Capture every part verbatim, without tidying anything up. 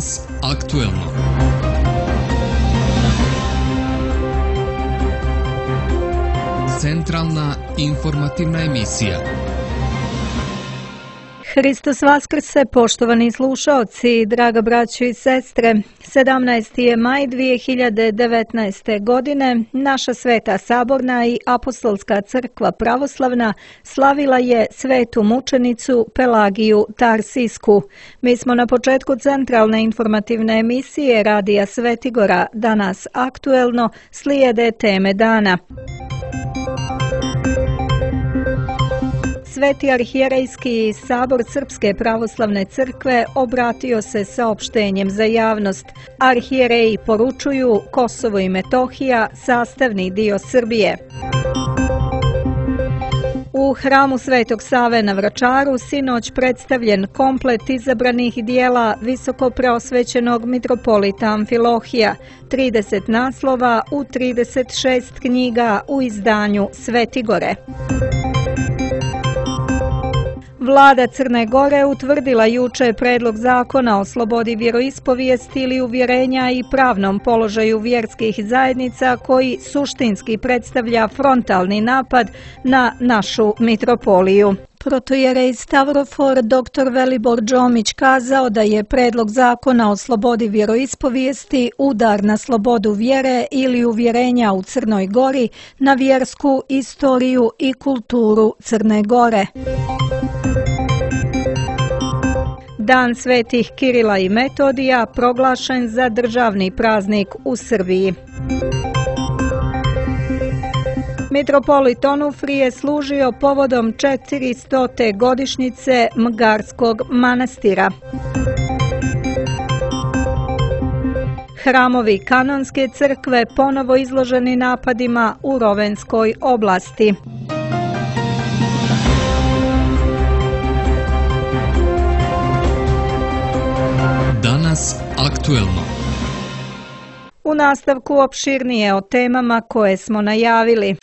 Danas aktuelno. Centralna informativna emisija. Hristos vaskrse, poštovani slušaoci, draga braćo i sestre. sedamnaesti je maj dvije hiljade devetnaeste. godine. Naša Sveta Saborna i Apostolska crkva pravoslavna slavila je svetu mučenicu Pelagiju Tarsijsku. Mi smo na početku centralne informativne emisije Radija Svetigora. Danas aktuelno slijede teme dana. Sveti arhijerejski sabor Srpske pravoslavne crkve obratio se saopštenjem za javnost. Arhijereji poručuju Kosovo i Metohija sastavni dio Srbije. U hramu Svetog Save na Vračaru sinoć predstavljen komplet izabranih dijela visoko preosvećenog mitropolita Amfilohija, trideset naslova u trideset šest knjiga u izdanju Svetigore. Vlada Crne Gore utvrdila juče predlog zakona o slobodi vjeroispovijesti ili uvjerenja i pravnom položaju vjerskih zajednica koji suštinski predstavlja frontalni napad na našu mitropoliju. Protojerej Stavrofor doktor Velibor Đomić kazao da je predlog zakona o slobodi vjeroispovijesti udar na slobodu vjere ili uvjerenja u Crnoj Gori, na vjersku istoriju i kulturu Crne Gore. Dan svetih Kirila i Metodija proglašen za državni praznik u Srbiji. Mitropolit Onufrije je služio povodom četiristote godišnjice Mgarskog manastira. Hramovi Kanonske crkve ponovo izloženi napadima u Rovenskoj oblasti. Danas aktuelno. U nastavku opširnije o temama koje smo najavili.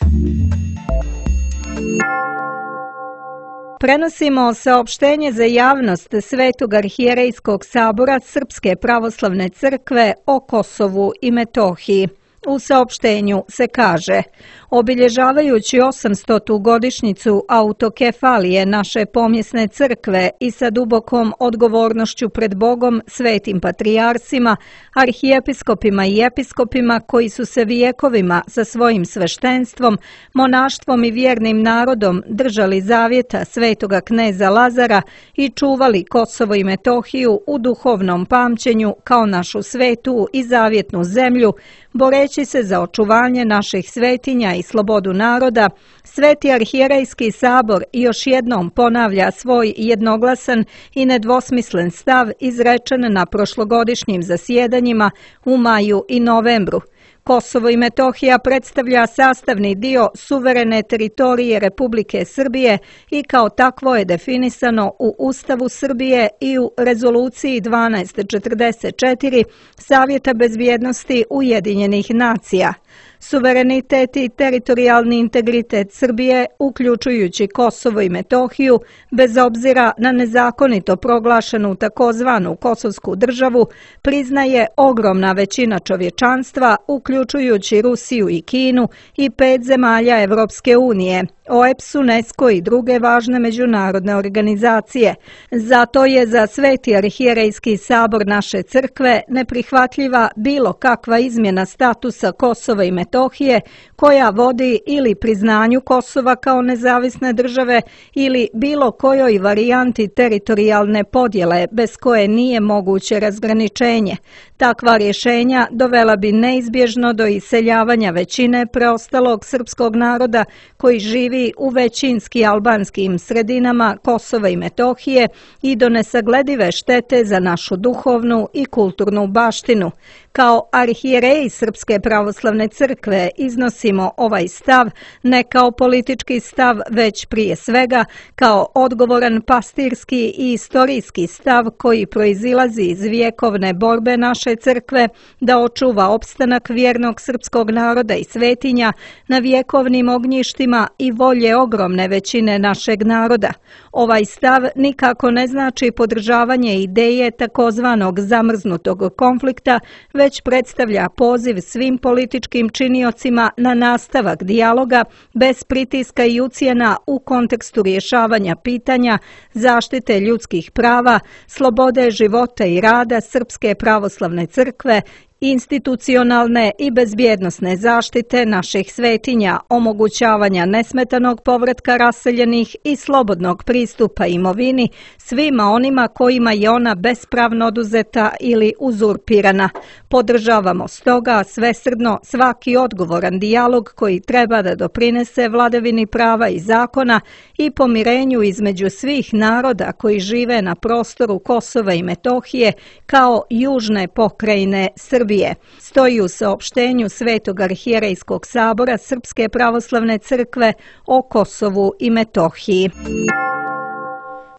Prenosimo saopštenje za javnost Svetog arhijerejskog sabora Srpske pravoslavne crkve o Kosovu i Metohiji. U saopštenju se kaže: obilježavajući osamstotu godišnjicu autokefalije naše pomjesne crkve i sa dubokom odgovornošću pred Bogom, svetim patrijarsima, arhijepiskopima i episkopima koji su se vijekovima sa svojim sveštenstvom, monaštvom i vjernim narodom držali zavjeta svetoga kneza Lazara i čuvali Kosovo i Metohiju u duhovnom pamćenju kao našu svetu i zavjetnu zemlju, boreći se za očuvanje naših svetinja i slobodu naroda, Sveti arhijerejski sabor još jednom ponavlja svoj jednoglasan i nedvosmislen stav izrečen na prošlogodišnjim zasjedanjima u maju i novembru. Kosovo i Metohija predstavlja sastavni dio suverene teritorije Republike Srbije i kao takvo je definisano u Ustavu Srbije i u Rezoluciji dvanaest četrdeset četiri Savjeta bezbjednosti Ujedinjenih nacija. Suverenitet i teritorijalni integritet Srbije, uključujući Kosovo i Metohiju, bez obzira na nezakonito proglašenu takozvanu Kosovsku državu, priznaje ogromna većina čovječanstva, uključujući Rusiju i Kinu i pet zemalja Evropske unije, O E P S, UNESCO i druge važne međunarodne organizacije. Zato je za Sveti arhijerejski sabor naše crkve neprihvatljiva bilo kakva izmjena statusa Kosova i Metohije koja vodi ili priznanju Kosova kao nezavisne države ili bilo kojoj varijanti teritorijalne podjele bez koje nije moguće razgraničenje. Takva rješenja dovela bi neizbježno do iseljavanja većine preostalog srpskog naroda koji živi u većinski albanskim sredinama Kosova i Metohije i do nesagledive štete za našu duhovnu i kulturnu baštinu. Kao arhijereji Srpske pravoslavne crkve iznosimo ovaj stav ne kao politički stav, već prije svega kao odgovoran pastirski i istorijski stav koji proizilazi iz vjekovne borbe naše crkve da očuva opstanak vjernog srpskog naroda i svetinja na vjekovnim ognjištima i volje ogromne većine našeg naroda. Ovaj stav nikako ne znači podržavanje ideje takozvanog zamrznutog konflikta, već predstavlja poziv svim političkim činiocima na nastavak dijaloga bez pritiska i ucjena u kontekstu rješavanja pitanja zaštite ljudskih prava, slobode života i rada Srpske pravoslavne crkve, institucionalne i bezbjednosne zaštite naših svetinja, omogućavanja nesmetanog povratka raseljenih i slobodnog pristupa imovini svima onima kojima je ona bespravno oduzeta ili uzurpirana. Podržavamo stoga svesrdno svaki odgovoran dijalog koji treba da doprinese vladavini prava i zakona i pomirenju između svih naroda koji žive na prostoru Kosova i Metohije kao južne pokrajine Srbije. Stoji u saopštenju Svetog arhijerejskog sabora Srpske pravoslavne crkve o Kosovu i Metohiji.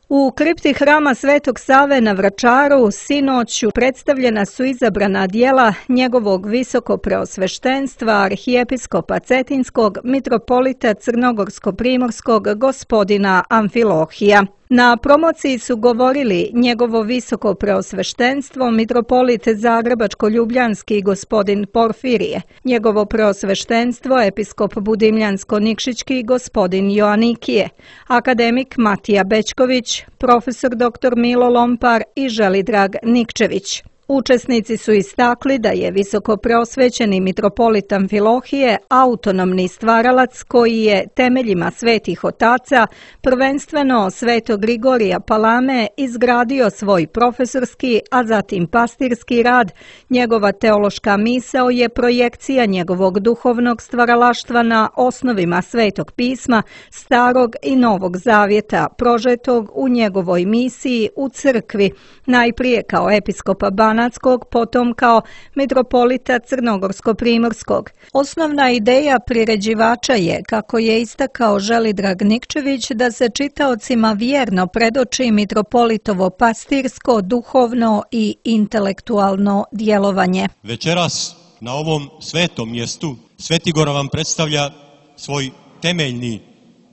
U kripti hrama Svetog Save na Vračaru sinoću predstavljena su izabrana djela njegovog visokopreosveštenstva arhijepiskopa Cetinskog mitropolita Crnogorsko-primorskog gospodina Amfilohija. Na promociji su govorili njegovo visoko preosveštenstvo mitropolit Zagrebačko-ljubljanski gospodin Porfirije, njegovo preosveštenstvo episkop Budimljansko-nikšićki gospodin Joanikije, akademik Matija Bećković, profesor doktor Milo Lompar i Želidrag Nikčević. Učesnici su istakli da je visoko preosvećeni mitropolit Amfilohije autonomni stvaralac koji je temeljima svetih otaca, prvenstveno svetog Grigorija Palame, izgradio svoj profesorski, a zatim pastirski rad. Njegova teološka misao je projekcija njegovog duhovnog stvaralaštva na osnovima Svetog pisma, Starog i Novog zavjeta, prožetog u njegovoj misiji u crkvi, najprije kao episkopa Banatskog, potom kao mitropolita Crnogorsko-primorskog. Osnovna ideja priređivača je, kako je istakao Želidrag Nikčević, da se čitaocima vjerno predoči mitropolitovo pastirsko, duhovno i intelektualno djelovanje. Večeras na ovom svetom mjestu Svetigor vam predstavlja svoj temeljni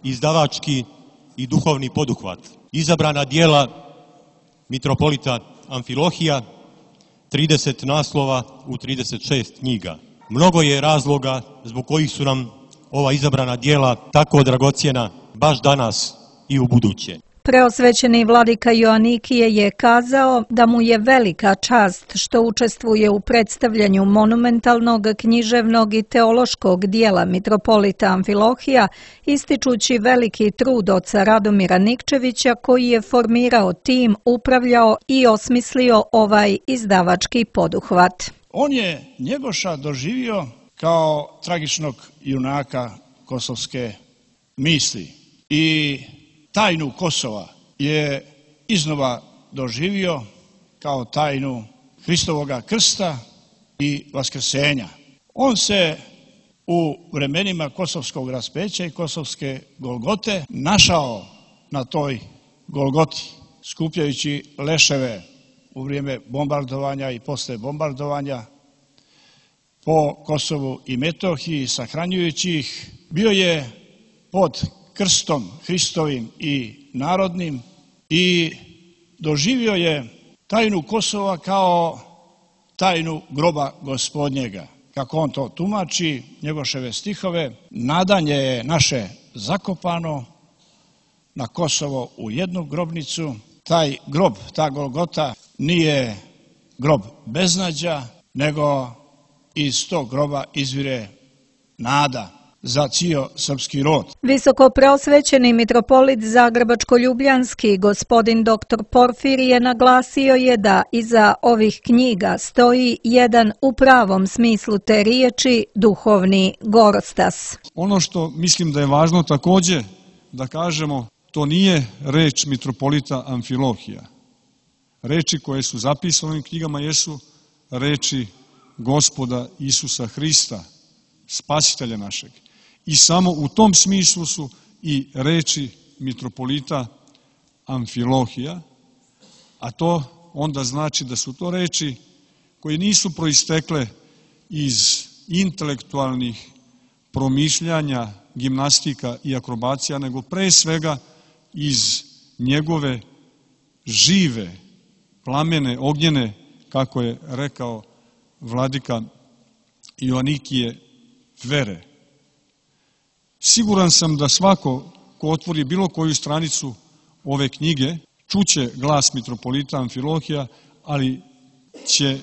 izdavački i duhovni poduhvat. Izabrana djela mitropolita Amfilohija, trideset naslova u trideset šest knjiga. Mnogo je razloga zbog kojih su nam ova izabrana djela tako dragocjena baš danas i u buduće. Preosvećeni vladika Joanikije je kazao da mu je velika čast što učestvuje u predstavljanju monumentalnog, književnog i teološkog dijela mitropolita Amfilohija, ističući veliki trud oca Radomira Nikčevića koji je formirao tim, upravljao i osmislio ovaj izdavački poduhvat. On je Njegoša doživio kao tragičnog junaka kosovske misli i tajnu Kosova je iznova doživio kao tajnu Hristovoga krsta i vaskrsenja. On se u vremenima kosovskog raspeća i kosovske Golgote našao na toj Golgoti, skupljajući leševe u vrijeme bombardovanja i posle bombardovanja po Kosovu i Metohiji, sahranjujući ih. Bio je pod krstom Hristovim i narodnim i doživio je tajnu Kosova kao tajnu groba Gospodnjega. Kako on to tumači, Njegoševe stihove, nadanje je naše zakopano na Kosovo u jednu grobnicu. Taj grob, ta Golgota nije grob beznađa, nego iz tog groba izvire nada za cijel srpski rod. Visoko preosvećeni mitropolit Zagrebačko-ljubljanski gospodin doktor Porfirije naglasio je da iza ovih knjiga stoji jedan u pravom smislu te riječi duhovni gorostas. Ono što mislim da je važno također da kažemo, to nije reč mitropolita Amfilohija. Reči koje su zapisane u ovim knjigama jesu reči Gospoda Isusa Hrista, spasitelja našeg. I samo u tom smislu su i reči mitropolita Amfilohija, a to onda znači da su to reči koje nisu proistekle iz intelektualnih promišljanja, gimnastika i akrobacija, nego pre svega iz njegove žive, plamene, ognjene, kako je rekao vladika Joanikije, vere. Siguran sam da svako ko otvori bilo koju stranicu ove knjige, čuće glas mitropolita Amfilohija, ali će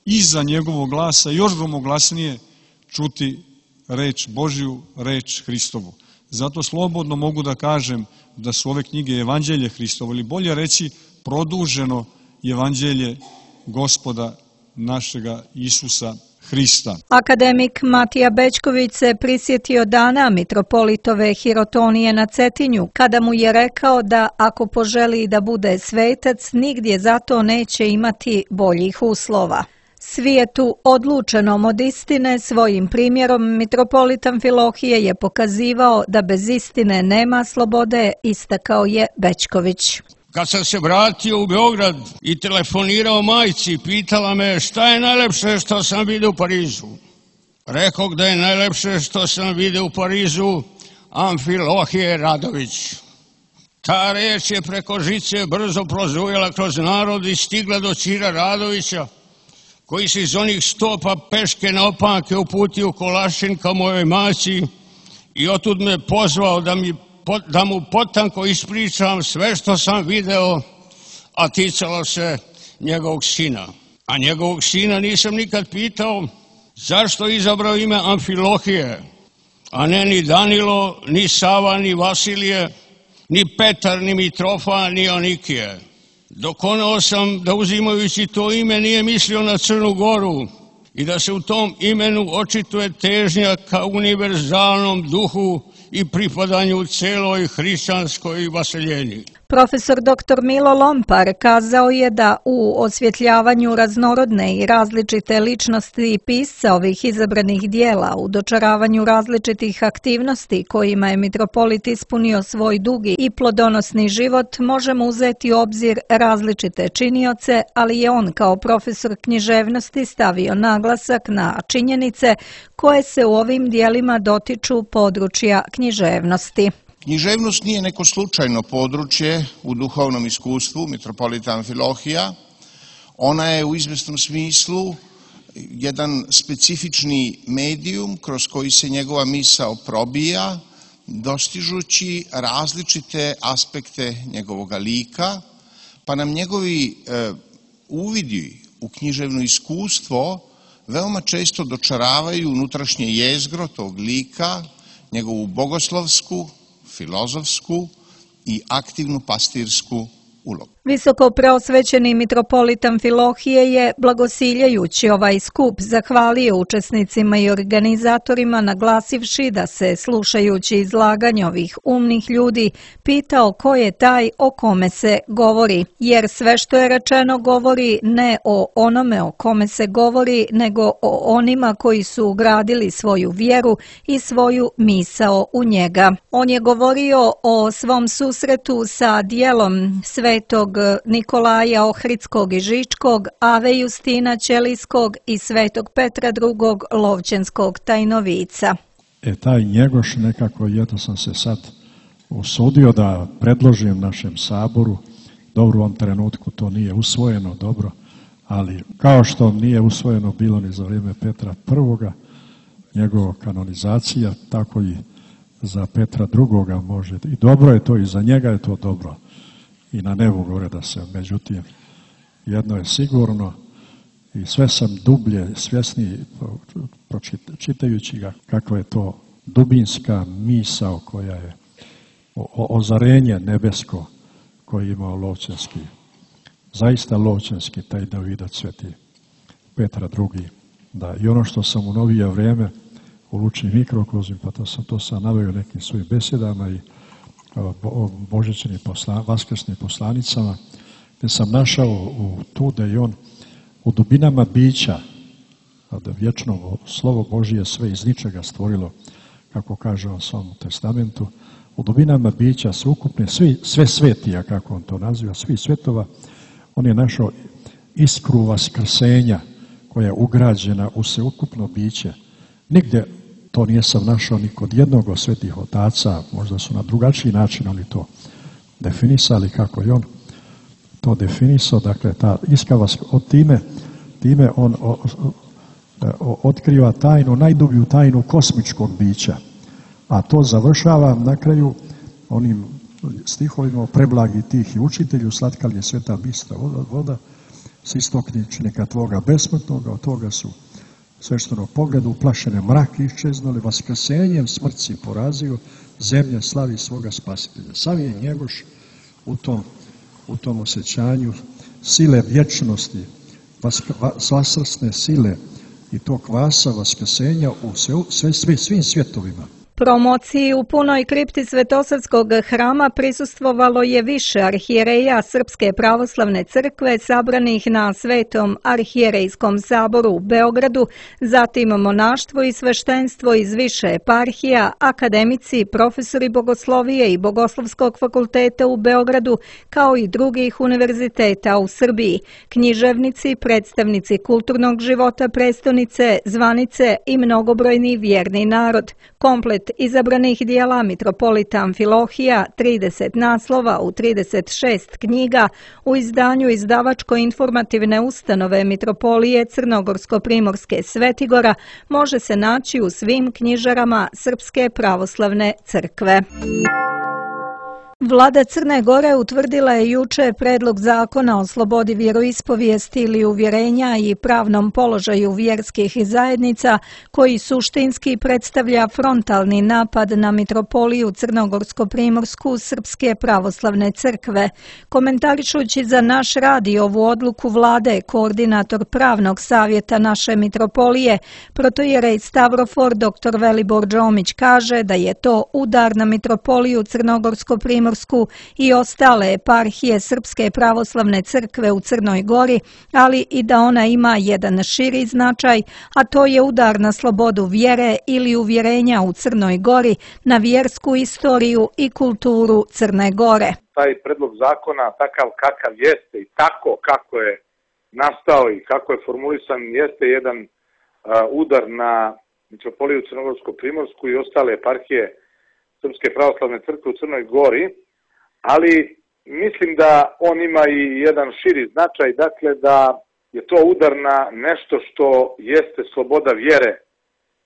iza njegovog glasa još gromoglasnije čuti reč Božju, reč Hristovu. Zato slobodno mogu da kažem da su ove knjige Evanđelje Hristovo, ili bolje reći produženo Evanđelje Gospoda našega Isusa Hrista. Akademik Matija Bećković se prisjetio dana mitropolitove hirotonije na Cetinju, kada mu je rekao da ako poželi da bude svetac, nigdje zato neće imati boljih uslova. Svijetu odlučenom od istine svojim primjerom mitropolit Amfilohije je pokazivao da bez istine nema slobode, istakao je Bećković. Kad sam se vratio u Beograd i telefonirao majci, pitala me šta je najlepše što sam vidio u Parizu. Rekao da je najlepše što sam vidio u Parizu Amfilohije Radović. Ta reč je preko žice brzo prozujela kroz narod i stigla do Ćira Radovića, koji se iz onih stopa peške na opanke uputio u Kolašin ka mojoj maci i otud me pozvao da mi da mu potanko ispričam sve što sam video, a ticalo se njegovog sina. A njegovog sina nisam nikad pitao zašto je izabrao ime Amfilohije, a ne ni Danilo, ni Sava, ni Vasilije, ni Petar, ni Mitrofa, ni Onikije. Dokonao sam da uzimajući to ime nije mislio na Crnu Goru i da se u tom imenu očituje težnja ka univerzalnom duhu i pripadanju celoj hrišćanskoj vaseljeni. Profesor doktor Milo Lompar kazao je da u osvjetljavanju raznorodne i različite ličnosti pisca ovih izabranih dijela, u dočaravanju različitih aktivnosti kojima je mitropolit ispunio svoj dugi i plodonosni život, možemo uzeti u obzir različite činioce, ali je on kao profesor književnosti stavio naglasak na činjenice koje se u ovim dijelima dotiču područja književnosti. Književnost nije neko slučajno područje u duhovnom iskustvu mitropolita Amfilohija. Ona je u izvesnom smislu jedan specifični medijum kroz koji se njegova misao probija, dostižući različite aspekte njegovog lika, pa nam njegovi e, uvidi u književno iskustvo veoma često dočaravaju unutrašnje jezgro tog lika, njegovu bogoslovsku, filozofsku i aktivnu pastirsku ulogu. Visoko preosvećeni mitropolit Amfilohije je, blagosiljajući ovaj skup, zahvalio učesnicima i organizatorima, naglasivši da se, slušajući izlaganje ovih umnih ljudi, pitao ko je taj o kome se govori, jer sve što je rečeno govori ne o onome o kome se govori, nego o onima koji su ugradili svoju vjeru i svoju misao u njega. On je govorio o svom susretu sa dijelom svetog Nikolaja Ohridskog i Žičkog, Ave Justina Ćelijskog i svetog Petra drugog Lovćenskog tajnovica. E, taj Njegoš nekako, jedno sam se sad usudio da predložim našem saboru, dobro u ovom trenutku to nije usvojeno, dobro, ali kao što nije usvojeno bilo ni za vrijeme Petra prvoga, njegova kanonizacija, tako i za Petra drugoga može, i dobro je to, i za njega je to dobro. I na nebu gore da se, međutim, jedno je sigurno i sve sam dublje svjesni čitajući ga kakva je to dubinska misao koja je o, ozarenje nebesko koje je imao Lovćenski, zaista Lovćenski, taj Davidac sveti Petra drugi. Da, i ono što sam u novije vrijeme u Lučnim mikrokozim, pa to sam to sam naveo nekim svojim besedama i božićnim posla, vaskrsnim poslanicama, gdje sam našao u tu da je on u dubinama bića da vječno slovo Božije sve iz ničega stvorilo, kako kaže u svom testamentu, u dubinama bića sveukupne, svi, sve svetija, kako on to naziva, svi svetova, on je našao iskru vaskrsenja koja je ugrađena u sveukupno biće. Nigdje to nije sam našao ni kod jednog od svetih otaca, možda su na drugačiji način oni to definisali, kako je on to definisao, dakle ta iskra od time, time on o, o, otkriva tajnu, najdublju tajnu kosmičkog bića. A to završava na kraju onim stihovima o preblagi tih i učitelju, slatka li je sveta bistra voda, voda s istokničnika tvoga besmrtnoga, od toga su svešteno pogledu uplašene mraki iščeznuli, vaskrsenjem smrci porazio, zemlja slavi svoga spasitelja. Sam je Njegoš u tom, u tom osjećanju sile vječnosti, vaskrasne sile i tog kvasa vaskrsenja u sve, sve, sve, svim svjetovima. Promociji u punoj kripti Svetosavskog hrama prisustvovalo je više arhijereja Srpske pravoslavne crkve sabranih na Svetom arhijerejskom saboru u Beogradu, zatim monaštvo i sveštenstvo iz više eparhija, akademici, profesori bogoslovije i Bogoslovskog fakulteta u Beogradu, kao i drugih univerziteta u Srbiji, književnici, predstavnici kulturnog života prestonice, zvanice i mnogobrojni vjerni narod. Komplet izabranih dijela Mitropolita Amfilohija, trideset naslova u trideset šest knjiga, u izdanju izdavačko-informativne ustanove Mitropolije Crnogorsko-Primorske Svetigora može se naći u svim knjižarama Srpske pravoslavne crkve. Vlada Crne Gore utvrdila je juče predlog zakona o slobodi vjeroispovijesti ili uvjerenja i pravnom položaju vjerskih zajednica koji suštinski predstavlja frontalni napad na Mitropoliju Crnogorsko-Primorsku Srpske pravoslavne crkve. Komentarišući za naš radio ovu odluku vlade, koordinator pravnog savjeta naše Mitropolije, protojerej Stavrofor dr Velibor Đomić kaže da je to udar na Mitropoliju Crnogorsko-Primorsku i ostale eparhije Srpske pravoslavne crkve u Crnoj Gori, ali i da ona ima jedan širi značaj, a to je udar na slobodu vjere ili uvjerenja u Crnoj Gori, na vjersku istoriju i kulturu Crne Gore. Taj predlog zakona, takav kakav jeste i tako kako je nastao i kako je formulisan, jeste jedan uh, udar na Mitropoliju Crnogorsko-Primorsku i ostale eparhije Srpske pravoslavne crkve u Crnoj Gori, ali mislim da on ima i jedan širi značaj, dakle da je to udar na nešto što jeste sloboda vjere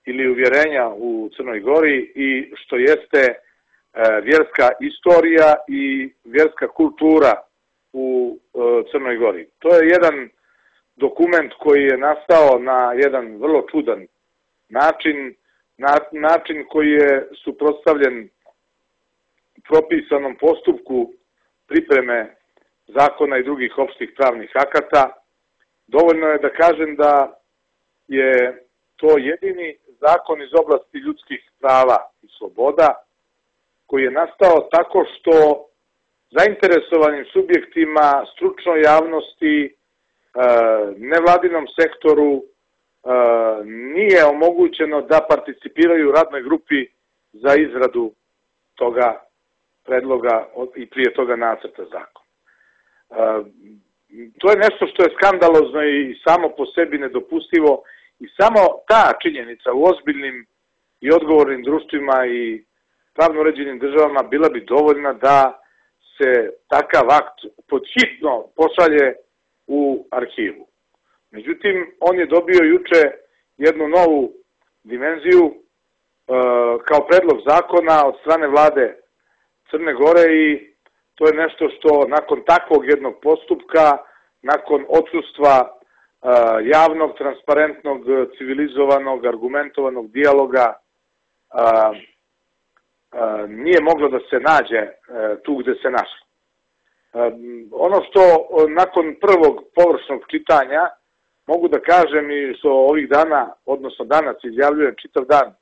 ili uvjerenja u Crnoj Gori i što jeste e, vjerska istorija i vjerska kultura u e, Crnoj Gori. To je jedan dokument koji je nastao na jedan vrlo čudan način, na, način koji je suprotstavljen propisanom postupku pripreme zakona i drugih opštih pravnih akata. Dovoljno je da kažem da je to jedini zakon iz oblasti ljudskih prava i sloboda koji je nastao tako što zainteresovanim subjektima, stručnoj javnosti, nevladinom sektoru nije omogućeno da participiraju u radnoj grupi za izradu toga predloga i prije toga nacrta zakona. To je nešto što je skandalozno i samo po sebi nedopustivo i samo ta činjenica u ozbiljnim i odgovornim društvima i pravno uređenim državama bila bi dovoljna da se takav akt podhitno pošalje u arhivu. Međutim, on je dobio juče jednu novu dimenziju kao predlog zakona od strane vlade Crne Gore i to je nešto što nakon takvog jednog postupka, nakon odsustva javnog, transparentnog, civilizovanog, argumentovanog dijaloga nije moglo da se nađe tu gde se našlo. Ono što nakon prvog površnog čitanja mogu da kažem i što ovih dana, odnosno danas izjavljujem čitav dan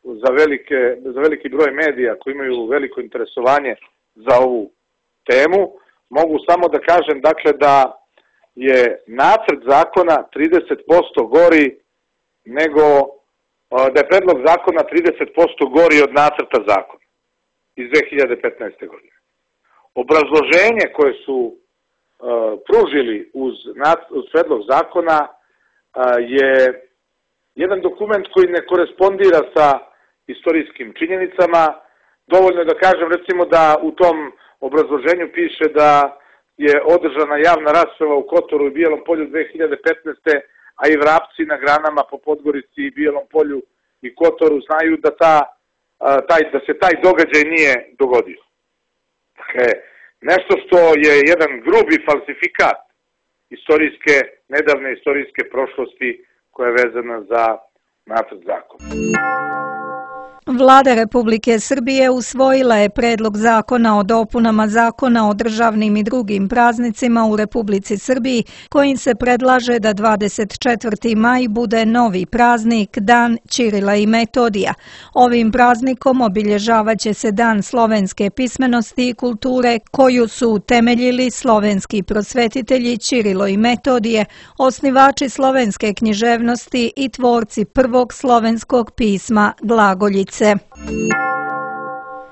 za, velike, za veliki broj medija koji imaju veliko interesovanje za ovu temu, mogu samo da kažem dakle da je nacrt zakona trideset posto gori nego da je predlog zakona trideset posto gori od nacrta zakona iz dve hiljade petnaeste. godine. Obrazloženje koje su uh, pružili uz, uz predlog zakona uh, je jedan dokument koji ne korespondira sa istorijskim činjenicama. Dovoljno je da kažem recimo da u tom obrazloženju piše da je održana javna rasprava u Kotoru i Bijelom polju dve hiljade petnaeste. a i vrapci na granama po Podgorici i Bijelom polju i Kotoru znaju da, ta, taj, da se taj događaj nije dogodio. Dakle, nešto što je jedan grubi falsifikat istorijske, nedavne istorijske prošlosti koja je vezana za nacrt zakona. Vlada Republike Srbije usvojila je predlog zakona o dopunama Zakona o državnim i drugim praznicima u Republici Srbiji, kojim se predlaže da dvadeset četvrti maj bude novi praznik, Dan Ćirila i Metodija. Ovim praznikom obilježavaće se Dan slovenske pismenosti i kulture, koju su utemeljili slovenski prosvetitelji Ćirilo i Metodije, osnivači slovenske književnosti i tvorci prvog slovenskog pisma glagoljice.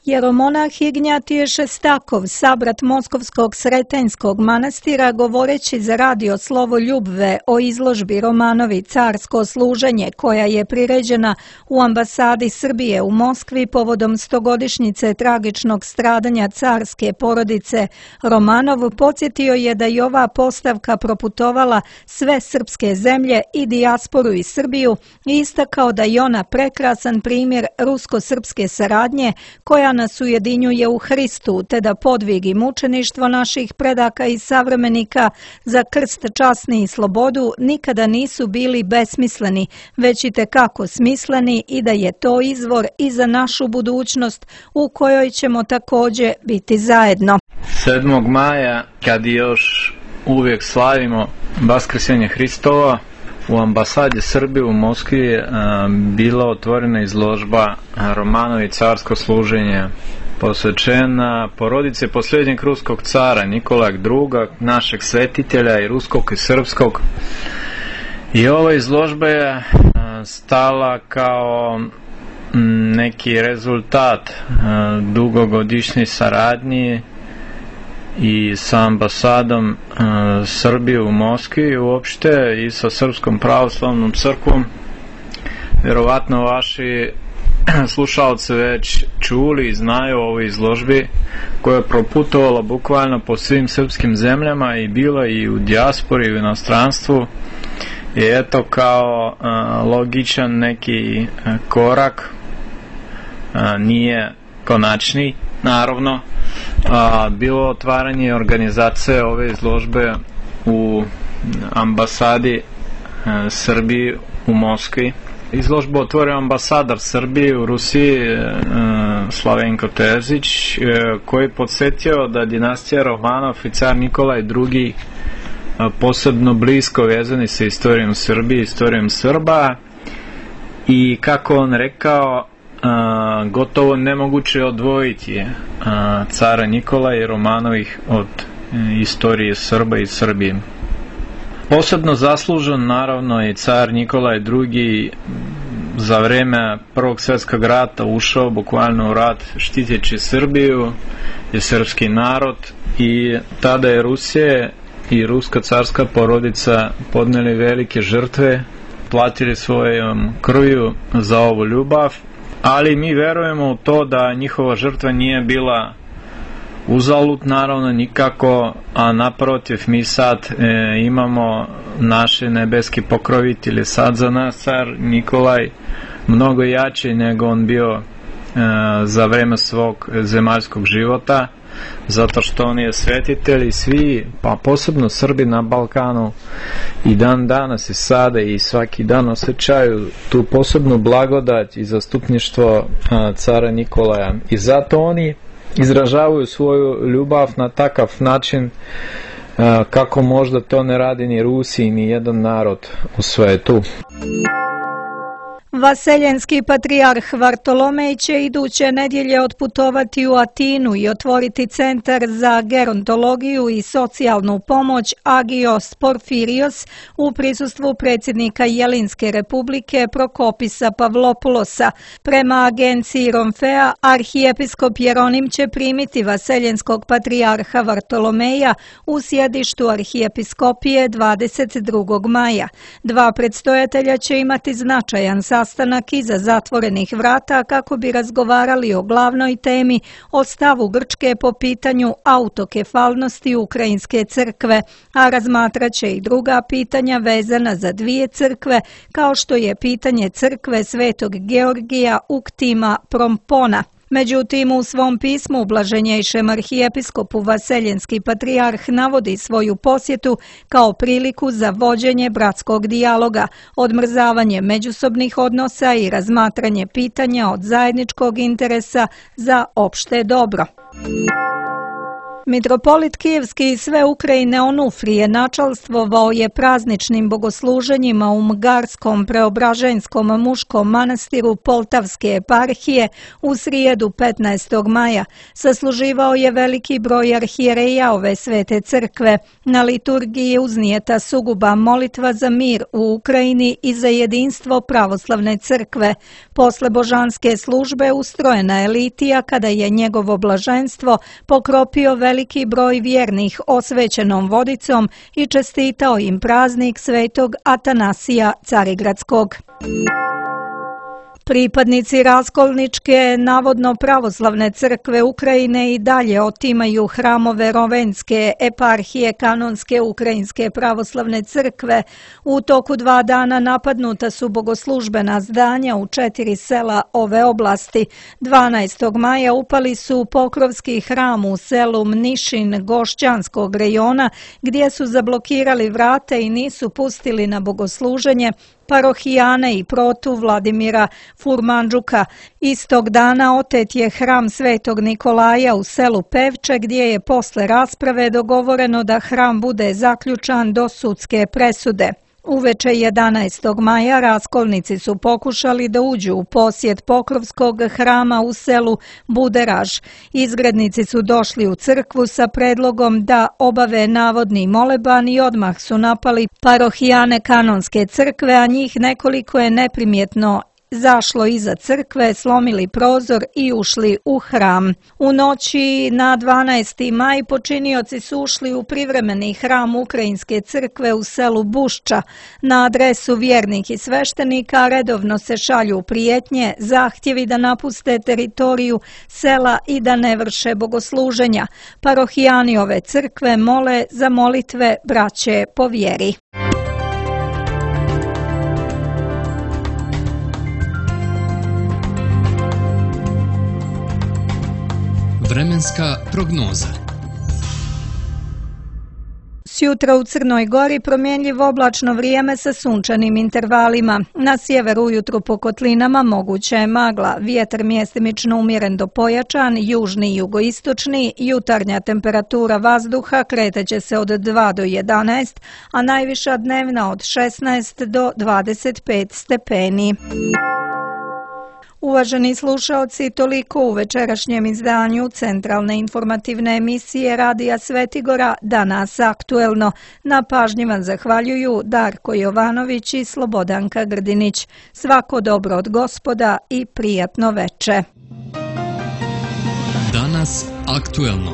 Jeromonah Ignjatije Šestakov, sabrat Moskovskog Sretenjskog manastira, govoreći za radio Slovo Ljubve o izložbi Romanovi Carsko služenje, koja je priređena u ambasadi Srbije u Moskvi povodom stogodišnjice tragičnog stradanja carske porodice Romanov, podsjetio je da je ova postavka proputovala sve srpske zemlje i dijasporu i Srbiju i istakao da je ona prekrasan primjer rusko-srpske saradnje koja nas ujedinjuje u Hristu, te da podvig i mučeništvo naših predaka i savremenika za krst, časni i slobodu nikada nisu bili besmisleni, već i tekako smisleni i da je to izvor i za našu budućnost u kojoj ćemo također biti zajedno. sedmog maja, kad još uvijek slavimo Vaskrsenje Hristova, u ambasadi Srbije u Moskvi je bila otvorena izložba Romanovi Carsko služenje, posvećena porodice posljednjeg ruskog cara Nikolaja druga, našeg svetitelja i ruskog i srpskog. I ova izložba je stala kao neki rezultat dugogodišnje saradnje i sa ambasadom uh, Srbije u Moskvi uopšte i sa Srpskom pravoslavnom crkvom. Vjerovatno vaši slušalci već čuli i znaju o ovoj izložbi koja je proputovala bukvalno po svim srpskim zemljama i bila i u dijaspori i u inostranstvu. I eto kao uh, logičan neki uh, korak, uh, nije konačni naravno, a, bilo otvaranje organizacije ove izložbe u ambasadi a, Srbije u Moskvi. Izložbu otvorio ambasador Srbije u Rusiji a, Slavenko Terzić, a, koji podsjetio da dinastija Romanov i car Nikolaj drugi a, posebno blisko vezani sa istorijom Srbije, istorijom Srba i kako on rekao, Uh, gotovo nemoguće odvojiti uh, cara Nikolaja i Romanovih od uh, istorije Srba i Srbije. Posebno zaslužen naravno je car Nikolaj drugi za vreme Prvog svjetskog rata ušao bukvalno u rat štiteći Srbiju i srpski narod i tada je Rusija i ruska carska porodica podneli velike žrtve, platili svojom krvju za ovu ljubav. Ali mi verujemo u to da njihova žrtva nije bila uzalud, naravno nikako, a naprotiv mi sad e, imamo naše nebeski pokrovitelje, sad za nas car Nikolaj mnogo jači nego on bio e, za vreme svog zemaljskog života, zato što on je svetitelj i svi, pa posebno Srbi na Balkanu i dan danas i sada i svaki dan osjećaju tu posebnu blagodat i zastupništvo a, cara Nikolaja i zato oni izražavaju svoju ljubav na takav način a, kako možda to ne radi ni Rusi ni jedan narod u svetu. Vaseljenski patrijarh Vartolomej će iduće nedjelje otputovati u Atinu i otvoriti centar za gerontologiju i socijalnu pomoć Agios Porfirios u prisustvu predsjednika Jelinske republike Prokopisa Pavlopulosa. Prema agenciji Romfea, arhijepiskop Jeronim će primiti vaseljenskog patrijarha Vartolomeja u sjedištu arhijepiskopije dvadeset drugog maja. Dva predstojatelja će imati značajan sastanak iza zatvorenih vrata kako bi razgovarali o glavnoj temi, o stavu Grčke po pitanju autokefalnosti Ukrajinske crkve, a razmatrat će i druga pitanja vezana za dvije crkve, kao što je pitanje crkve Svetog Georgija Uktima Prompona. Međutim, u svom pismu blaženjejšem arhijepiskopu Vaseljenski patrijarh navodi svoju posjetu kao priliku za vođenje bratskog dijaloga, odmrzavanje međusobnih odnosa i razmatranje pitanja od zajedničkog interesa za opšte dobro. Mitropolit Kijevski i sve Ukrajine Onufrije načalstvovao je prazničnim bogosluženjima u Mgarskom preobraženskom muškom manastiru Poltavske eparhije u srijedu petnaestog maja. Sasluživao je veliki broj arhijereja ove svete crkve. Na liturgiji je uznijeta suguba molitva za mir u Ukrajini i za jedinstvo pravoslavne crkve. Posle božanske službe ustrojena je litija kada je njegovo blaženstvo pokropio veliki veliki broj vjernih osvećenom vodicom i čestitao im praznik svetog Atanasija Carigradskog. Pripadnici Raskolničke, navodno pravoslavne crkve Ukrajine, i dalje otimaju hramove Rovenske eparhije kanonske Ukrajinske pravoslavne crkve. U toku dva dana napadnuta su bogoslužbena zdanja u četiri sela ove oblasti. dvanaestog maja upali su Pokrovski hram u selu Mnišin Gošćanskog rejona, gdje su zablokirali vrate i nisu pustili na bogosluženje parohijane i protu Vladimira Furmanđuka. Istog dana otet je hram Svetog Nikolaja u selu Pevče, gdje je posle rasprave dogovoreno da hram bude zaključan do sudske presude. Uveče jedanaestog maja raskolnici su pokušali da uđu u posjed Pokrovskog hrama u selu Buderaž. Izgrednici su došli u crkvu sa predlogom da obave navodni moleban i odmah su napali parohijane kanonske crkve, a njih nekoliko je neprimjetno zašlo iza crkve, slomili prozor i ušli u hram. U noći na dvanaesti maj počinioci su ušli u privremeni hram Ukrajinske crkve u selu Bušča. Na adresu vjernih i sveštenika redovno se šalju prijetnje, zahtjevi da napuste teritoriju sela i da ne vrše bogosluženja. Parohijani ove crkve mole za molitve braće po vjeri. Vremenska prognoza. Sjutra u Crnoj Gori promjenljivo oblačno vrijeme sa sunčanim intervalima. Na sjeveru ujutru po kotlinama moguća je magla, vjetar mjestimično umjeren do pojačan, južni i jugoistočni, jutarnja temperatura vazduha kretaće se od dva do jedanaest, a najviša dnevna od šesnaest do dvadeset pet stepeni. Uvaženi slušaoci, toliko u večerašnjem izdanju centralne informativne emisije Radija Svetigora Danas aktuelno. Na pažnji vam zahvaljuju Darko Jovanović i Slobodanka Grdinić. Svako dobro od Gospoda i prijatno veče. Danas aktuelno.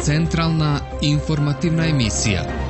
Centralna informativna emisija.